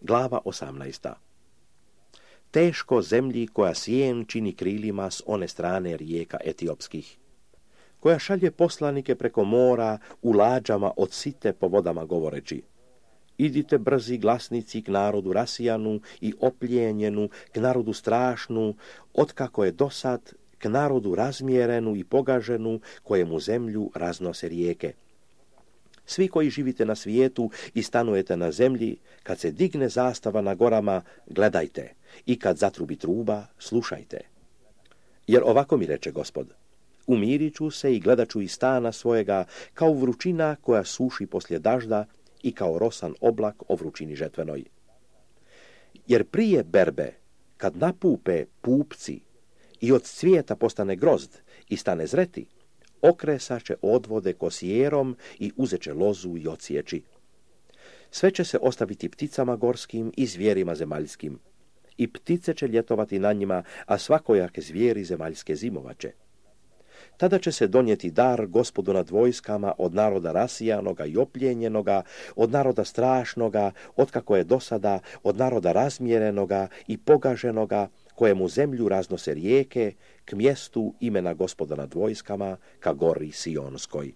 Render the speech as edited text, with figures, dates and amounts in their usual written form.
Glava 18. Teško zemlji koja sjen čini krilima s one strane rijeka etiopskih, koja šalje poslanike preko mora u lađama od site po vodama govoreći: idite brzi glasnici k narodu rasijanu i opljenjenu, k narodu strašnu, otkako je dosad, k narodu razmjerenu i pogaženu, kojemu zemlju raznose rijeke. Svi koji živite na svijetu i stanujete na zemlji, kad se digne zastava na gorama, gledajte, i kad zatrubi truba, slušajte. Jer ovako mi reče Gospod: umirit ću se i gledat ću iz stana svojega, kao vrućina koja suši poslije dažda i kao rosan oblak o vrućini žetvenoj. Jer prije berbe, kad napupe pupci i od cvijeta postane grozd i stane zreti, okresaće odvode kosijerom i uzeće lozu i ociječi. Sve će se ostaviti pticama gorskim i zvijerima zemaljskim. I ptice će ljetovati na njima, a svakojake zvijeri zemaljske zimovaće. Tada će se donijeti dar Gospodu nad vojskama od naroda rasijanoga i opljenjenoga, od naroda strašnoga, otkako je dosada, od naroda razmjerenoga i pogaženoga, kojemu zemlju raznose rijeke, k mjestu imena Gospoda nad vojskama, ka gori Sionskoj.